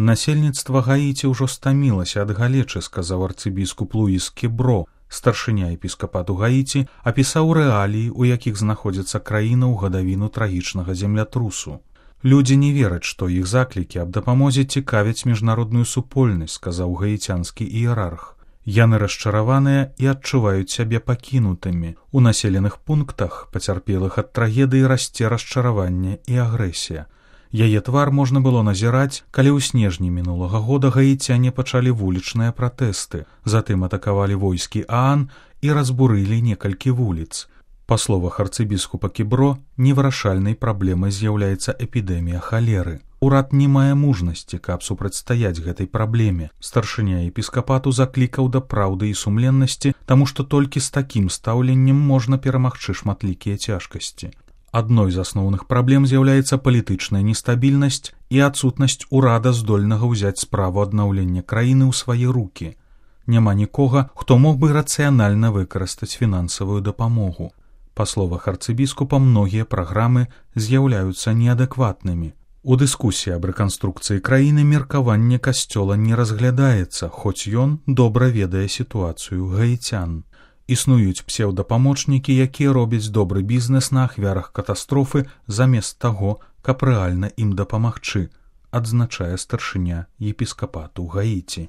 Насельніцтва Гаіці ўжо стамілася ад галечы, сказаў арцыбіскуп Луіс Кебро. Старшыня епіскапату Гаіці апісаў рэаліі, у якіх знаходзіцца краіна ў гадавіну трагічнага землятрусу. Людзі не вераць, што іх заклікі аб дапамозе цікавяць міжнародную супольнасць, сказаў гаіцянскі іерарх. Яны расчараваныя і адчуваюць сябе пакінутымі. У населеных пунктах, пацярпелых ад трагедыі, расце расчараванне і агрэсія. Яе твар можна было назіраць, калі ў снежні мінулага года гаіцяне пачалі вулічныя пратэсты, затым атакавалі войскі ААН і разбурылі некалькі вуліц. Па словах арцыбіскупа Кебро, невырашальнай праблемай з'яўляецца эпідэмія халеры. Урад не мае мужнасці, каб супрацьстаяць гэтай праблеме. Старшыня епіскапату заклікаў да праўды і сумленнасці, таму што толькі з такім стаўленнем можна перамагчы шматлікія цяжкасці. Адной з асноўных праблем з'яўляецца палітычная нестабільнасць і адсутнасць урада, здольнага ўзяць справу аднаўлення краіны ў свае рукі. Няма нікога, хто мог бы рацыянальна выкарыстаць фінансавую дапамогу. Па словах арцыбіскупа, многія праграмы з'яўляюцца неадэкватнымі. У дыскусіі аб рэканструкцыі краіны меркаванне касцёла не разглядаецца, хоць ён добра ведае сітуацыю гаіцян. Існуюць псеўдапамочнікі, якія робяць добры бізнес на ахвярах катастрофы замест таго, каб рэальна ім дапамагчы, адзначае старшыня епіскапату Гаіці.